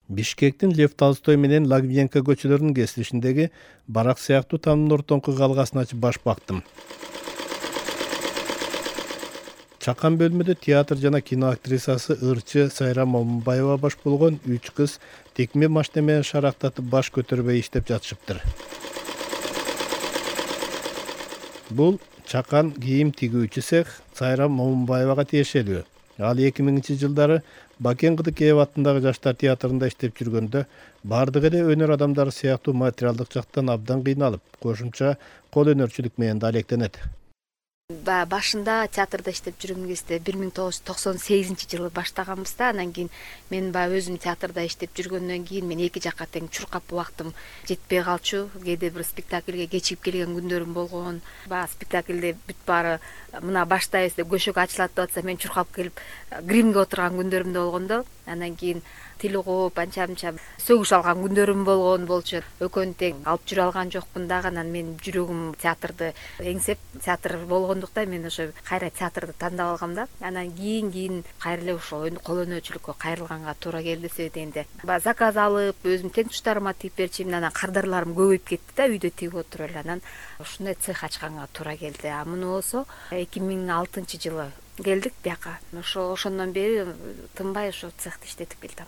Бишкектин Лев Толстой менен Лагвенко көчөлөрүнүн кесилишиндеги барак сыяктуу тамдын ортоңку калгасын ачып баш бактым. Чакан бөлмөдө театр жана кино актрисасы ырчы Сайрам Момунбаева баш болгон 3 кыз текме машина менен шарактатып баш көтөрбөй иштеп жатышыптыр. Бул чакан кийим тигүүчү цех Сайрам Момунбаевага тиешелүү. Ал 2000-жылдары Бакен Кыдыкеев аттындагы жаштар театрында иштеп жүргөндө бардыгы эле өнөр адамдары сыяктуу материалдык жактан абдан кыйналып, кошумча кол өнөрчүлүк менен да алектенет. Башында театрда иштеп жүргөн кезде 1998-жылы баштаганбыз да, анан кийин мен өзүм театрда иштеп жүргөндөн кийин мен эки жакка тең чуркап убактым жетпей калчу. Кээде бир спектакльге кечигип келген күндөрүм болгон. Спектакльде бүт баары мына баштайбыз деп көшөгө ачылат деп атса мен чуркап келип гримге отурган күндөрүм да болгондо. Анан кийин тил угуп анча-мынча сөгүш алган күндөрүм болгон болчу. Экөөнү тең алып жүрө алган жокмун дагы. Анан мен жүрөгүм театрды эңсеп, театр болгондуктан мен ошо кайра театрды тандап алгам да. Анан кийин кайра эле ошол кол өнөрчүлүккө кайрылганга туура келди себебинде. Заказ алып, өзүм тең туштарыма тигип берчүмүн. Анан кардарларым көбөйүп кетти да, үйдө тигип отуруп эле. Анан ушундай цех ачканга туура келди. Муну болсо 2006-жылы келдик бияка. Ошондон бери тынбай ошо цехти иштетип келдим.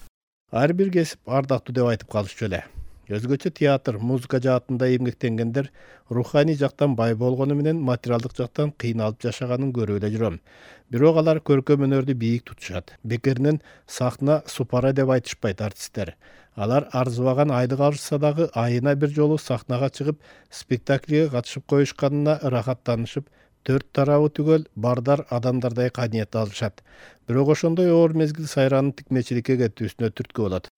Ар бир кесип ардактуу деп айтып калышчу эле. Өзгөчө театр, музыка жаатында эмгектенгендер руханий жактан бай болгону менен материалдык жактан кыйналып жашаганын көрүп эле жүрөм. Бирок алар көркөм өнөрдү бийик тутушат. Бекеринен сахна супара деп айтышпайт артисттер. Алар арзыбаган айлык алышса дагы айына бир жолу сахнага чыгып, спектакльге катышып коюшканына ырахаттанышып, 4 тарабы түгөл бардар адамдардай кадиет алышат. Бирок ошондой оор мезгил Сайранын тикмечиликке кетүүсүнө түрткү болот.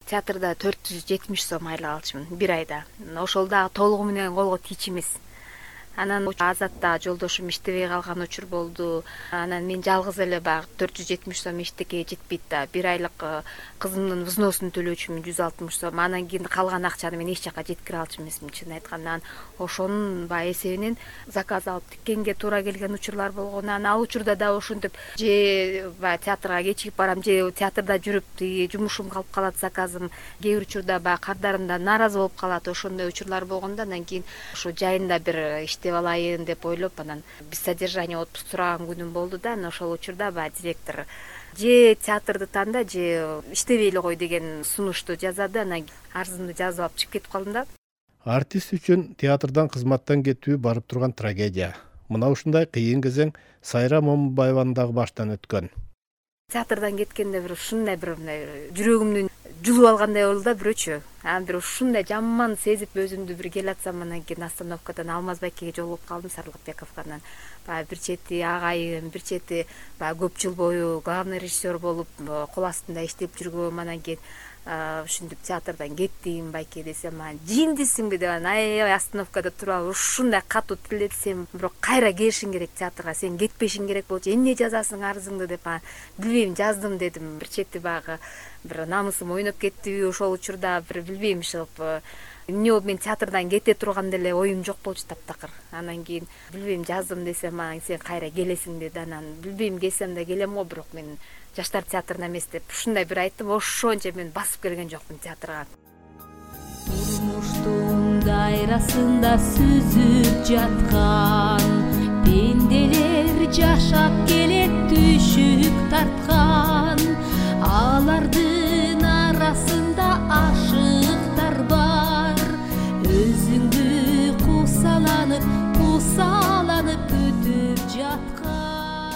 Театрда 470 сом айлык алчумун бир айда. Ошол дагы толугу менен колго тийчү эмес. Анан Азатта жолдошум иштебей калган учур болду. Анан мен жалгыз эле баягы 470 сом эчтекеге жетпейт да. Бир айлык кызымдын взносун төлөөчүмүн 160 сом. Анан кийин калган акчаны мен эч жака жеткире алчу эмесмин чынын айтканда. Ошонун эсебинен заказ алып тиккенге туура келген учурлар болгон. Анан ал учурда да ошентип же театрга кечигип барам, же театрда жүрүп тиги жумушум калып калат, заказым. Кээ бир учурда кардарымдан нааразы болуп калат. Ошондой учурлар болгондо анан кийин ошо жайында бир иштеп алайын деп ойлоп, анан без содержание отпуск сураган күнүм болду да. Анан ошол учурда директор же театрды танда, же иштебей эле кой деген сунушту жазады. Анан арызымды жазып алып чыгып кетип калдым да. Артист үчүн театрдан кызматтан кетүү барып турган трагедия. Мына ушундай кыйын кезең Сайрам Момунбаеванын дагы баштан өткөн. Театрдан кеткенде бир ушундай бир жүрөгүмдү жулуп алгандай болду да бирөөчү. Анан бир ушундай жаман сезип өзүмдү бир келатсам, анан кийин остановкадан Алмаз Байкеге жолугуп калдым, Сарлыкбековго. Анан бир чети агайым, бир чети көп жыл бою главный режиссер болуп кол астында иштеп жүргөм. Анан кийин ушинтип театрдан кеттим Байке десем, жиндисиңби деп анан аябай остановкада туруп алып ушундай катуу тилетсем, бирок кайра келишиң керек театрга, сен кетпешиң керек болчу, эмне жазасың арызыңды деп билбейм, жаздым дедим. Бир чети баягы бир намысым ойноп кеттиби ошол учурда, бир билбейм ушоп эмне болуп мен театрдан кете турган деле оюм жок болчу таптакыр. Анан кийин билбейм, жаздым десем, сен кайра келесиң деди. Анан билбейм, келсем да келем го, бирок мен жаштар театрына эмес деп ушундай бир айттым. Ошончо мен басып келген жокмун театрга. Турмуштун дайрасында сүзүп жаткан пенделер жашап келет түшүк тарткан. Алардын арасында ашыктар бар. Өзүңдү кусаланып күтүп жаткан.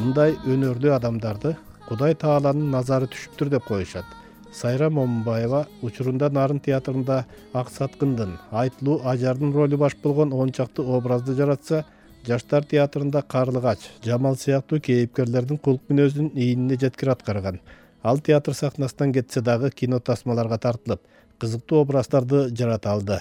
Мындай өнөрлүү адамдарды Кудай Тааланын назары түшүптүр деп коюшат. Сайрам Момунбаева учурунда Нарын театрында Ак Саткындын, Айтылуу Ажардын ролу баш болгон 10 чакты образды жаратса, жаштар театрында Карлыгач, Жамал сыяктуу кейипкерлердин кулк мүнөзүн ийинине жеткире аткарган. Ал театр сахнасынан кетсе дагы кино тасмаларга тартылып, кызыктуу образдарды жарата алды.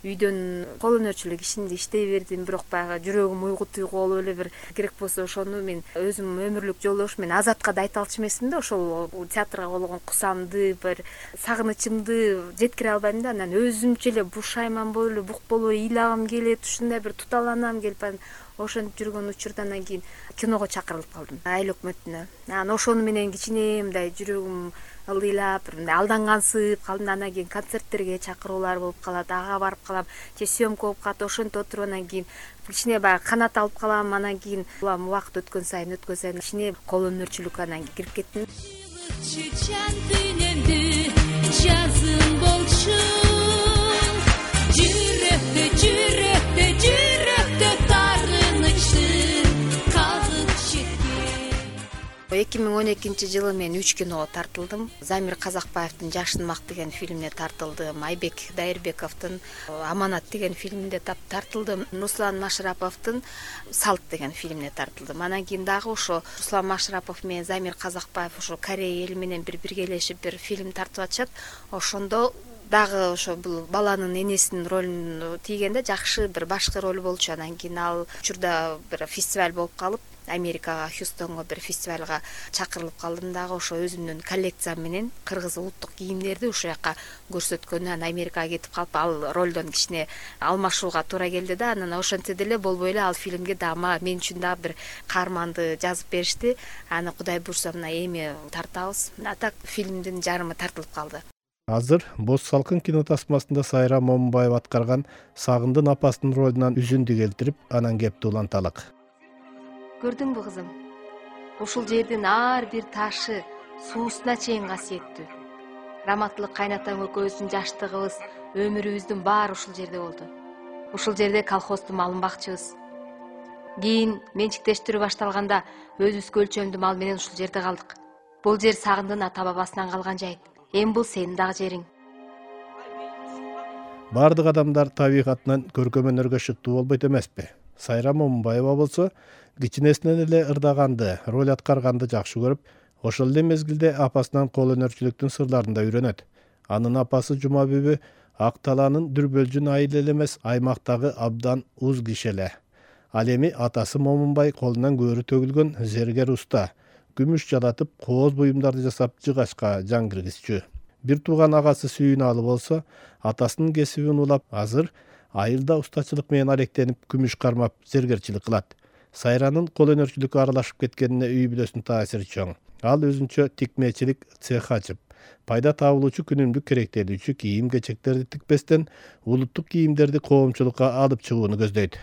Үйдөн кол өнөрчүлүк ишинде иштей бердим, бирок баягы жүрөгүм уйгу туйгу болуп эле бир керек болсо ошону мен өзүм өмүрлүк жолдошум мен Азатка да айта алчу эмесмин да. Ошол театрга болгон кусамды, бир сагынычымды жеткире албайм да. Анан өзүмчө эле бушайман болуп эле, бук болуп ыйлагым келет, ушундай бир туталанам келип ошентип жүргөн учурда анан кийин киного чакырылып калдым, айыл өкмөтүнө. Анан ошону менен кичине мындай жүрөгүм ылдыйлап бир мындай алдангансып калдым. Анан кийин концерттерге чакыруулар болуп калат, ага барып калам, же съемка болуп калат, ошентип отуруп анан кийин кичине баягы канат алып калам. Анан кийин улам убакыт өткөн сайын кичине кол өнөрчүлүк анан кирип кеттим. Çiçen dilimdi cazım bolçu Cürekte tarınışın kazıp çekti 2012-жылы мен 3 киного тартылдым. Замир Казакбаевдин Жашынмак деген фильмине тартылдым. Айбек Дайырбековдун Аманат деген фильминде тартылдым. Руслан Машраповдун Салт деген фильмине тартылдым. Анан кийин дагы ошо Руслан Машрапов менен Замир Казакбаев ошо Корея эли менен биргелешип бир фильм тартып атышат. Ошондо дагы ошо бул баланын энесинин ролун тийгенде жакшы бир башкы роль болчу. Анан кийин ал учурда бир фестиваль болуп калып, Америкага, Хьюстонго бир фестивалга чакырылып калдым. Дагы ошо өзүмдүн коллекциям менен кыргыз улуттук кийимдерди ушул жака көрсөткөндөн Америкага кетип калып, ал ролдон кичине алмашууга туура келди да. Анан ошентсе деле болбой эле ал фильмге дагы мен үчүн дагы бир каарманды жазып беришти. Аны Кудай буйрса мына эми тартабыз. А так фильмдин жарымы тартылып калды. Азыр Боз салкын кинотасмасында Сайра Момунбаева аткарган Сагындын апасынын ролунан үзүндү келтирип, анан кепти уланталык. Көрдүңбү кызым? Ушул жердин ар бир ташы суусуна чейин касиеттүү. Раматтылык кайнатаң экөөбүздүн жаштыгыбыз, өмүрүбүздүн баары ушул жерде болду. Ушул жерде колхоздун малын бакчыбыз. Кийин менчиктештирүү башталганда өзүбүзгө өлчөмдүү мал менен ушул жерде калдык. Бул жер Сагындын ата бабасынан калган жайыт. Эми бул сенин дагы жериң. Бардык адамдар табигатынан көркөм өнөргө шыктуу болбойт эмеспи? Сайра Момунбаева болсо кичинесинен эле ырдаганды, роль аткарганды жакшы көрүп, ошол эле мезгилде апасынан кол өнөрчүлүктүн сырларын да үйрөнөт. Анын апасы Жума бүбү Ак Талаанын Дүрбөлжүн айыл эле эмес, аймактагы абдан уз киши эле. Ал эми атасы Момунбай колунан көөрү төгүлгөн зергер уста, күмүш жалатып, кооз буюмдарды жасап жыгачка жан киргизчү. Бир тууган агасы Сүйүналы болсо, атасынын кесибин улап, азыр айылда устачылык менен алектенип, күмүш кармап, зергерчилик кылат. Сайранын кол өнөрчүлүккө аралашып кеткенине үй бүлөсүнүн таасири чоң. Ал өзүнчө тикмечилик цех ачып, пайда табылуучу күнүмдүк керектелүүчү кийим-кечектерди тикпестен улуттук кийимдерди коомчулукка алып чыгууну көздөйт.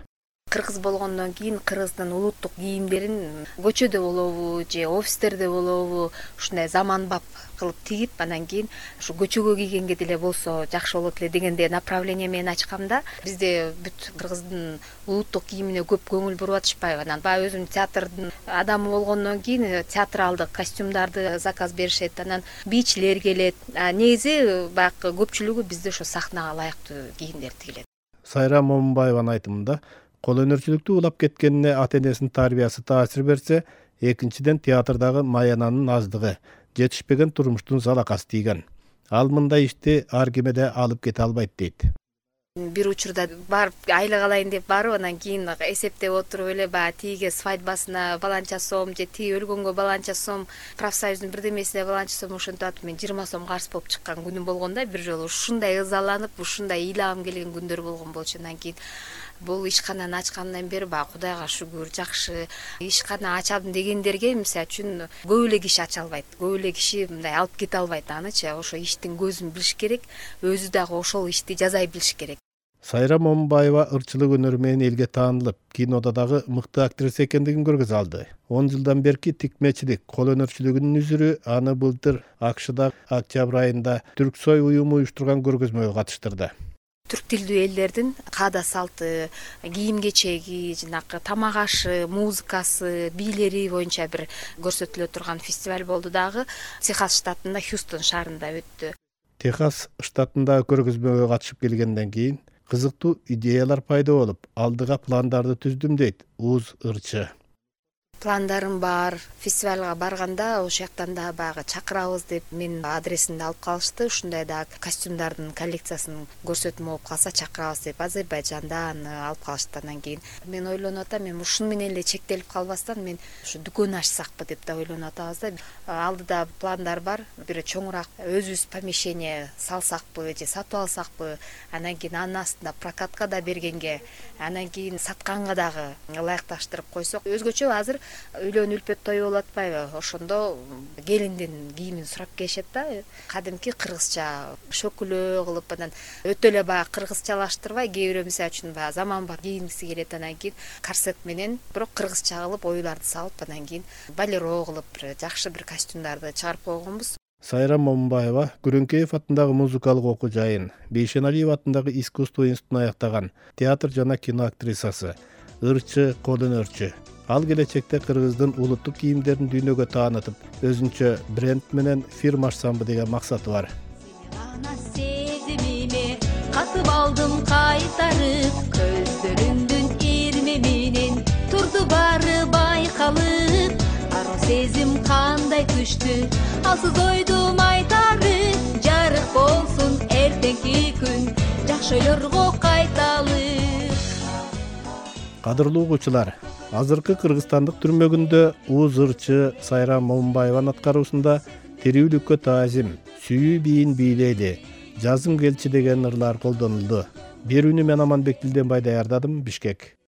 Кыргыз болгондон кийин кыргыздын улуттук кийимдерин көчөдө болобу же офистерде болобу ушундай заманбап кылып тигип, анан кийин ушу көчөгө кийгенге деле болсо жакшы болот эле дегенде направление менен ачкам да. Бизде бүт кыргыздын улуттук кийимине көп көңүл буруп атышпайбы. Анан баягы өзүм театрдын адамы болгондон кийин театралдык костюмдарды заказ беришет, анан бийчилер келет. Негизи баягы көпчүлүгү бизде ошо сахнага ылайыктуу кийимдер тигилет. Сайра Момунбаеванын айтымында, кол өнөрчүлүктү улап кеткенине ата-энесинин тарбиясы таасир берсе, экинчиден театрдагы маянанын аздыгы, жетишпеген турмуштун залакасы тийген. Ал мындай ишти ар кимеде алып кете албайт дейт. Бир учурда барып айлык алайын деп барып, анан кийин эсептеп отуруп эле баягы тиге свадьбасына баланча сом же тиги өлгөнгө баланча сом, профсоюздун бирдемесине баланча сом ошентип атып мен 20 сом карыз болуп чыккан күнүм болгон да. Бир жолу ушундай ызаланып, ушундай ыйлагым келген күндөр болгон болчу. Анан кийин бул ишкананы ачкандан бери баягы Кудайга шүгүр, жакшы ишкана ачам дегендерге мисалы үчүн көп эле киши ача албайт. Көп эле киши мындай алып кете албайт анычы. Ошо иштин көзүн билиш керек, өзү дагы ошол ишти жазай билиш керек. Сайра Момунбаева ырчылык өнөрү менен элге таанылып, кинода дагы мыкты актриса экендигин көргөзө алды. 10 жылдан берки тикмечилик, кол өнөрчүлүгүнүн үзүрү аны былтыр АКШда октябрь айында Түрксой уюму уюштурган көргөзмөгө катыштырды. Түрк тилдүү элдердин каада салты, кийим-кечеги, жанагы тамак ашы, музыкасы, бийлери боюнча бир көрсөтүлө турган фестиваль болду дагы. Техас штатында, Хьюстон шаарында өттү. Техас штатындагы көргөзмөгө катышып келгенден кийин кызыктуу идеялар пайда болуп, алдыга пландарды түздүм дейт Уз ырчы. Пландарым бар. Фестивалга барганда ошол жактан да баягы чакырабыз деп менин адресимди алып калышты. Ушундай да костюмдардын коллекциясын көрсөтмө болуп калса чакырабыз деп Азербайжанда аны алып калышты. Андан кийин мен ойлонуп атам, мен ушуну менен эле чектелип калбастан мен ушу дүкөн ачсакпы деп да ойлонуп атабыз да. Алдыда пландар бар. Бир чоңураак өзүбүз помещение салсакпы же сатып алсакпы. Андан кийин анын астында прокатка да бергенге, андан кийин сатканга дагы ылайыкташтырып койсок, өзгөчө азыр үйлөн үлпөт тою болуп атпайбы, ошондо келиндин кийимин сурап келишет да. Кадимки кыргызча шөкүлө кылып, анан өтө эле баягы кыргызчалаштырбай, кээ бирөө мисалы үчүн баягы заманбап кийингиси келет, анан кийин корсет менен бирок кыргызча кылып оюларды салып, анан кийин балеро кылып бир жакшы бир костюмдарды чыгарып койгонбуз. Сайрам Момунбаева Күрөңкеев атындагы музыкалык окуу жайын, Бейшеналиев атындагы искусство институтун аяктаган театр жана кино актрисасы, ырчы, кол өнөрчү. Ал келечекте кыргыздын улуттук кийимдерин дүйнөгө таанытып, өзүнчө бренд менен фирма ачсамбы деген максаты бар. Ана сезимиме катып алдым кайтарып, көздөрүңдүн ирме менен турду баары байкалып. Aro сезим кандай күчтүү, алсыз ойдум айтарып, жарык болсун эртеңки күн, жакшы ойлорго кайталып. Кадырлуу угуучулар, азыркы кыргызстандык түрмөгүндө Уз ырчы Сайрам Момунбаеванын аткаруусунда тирүүлүккө таазим, сүйүү бийин бийлейли, жазым келчи деген ырлар колдонулду. Берүүнү мен Аманбек Дилденбай даярдадым, Бишкек.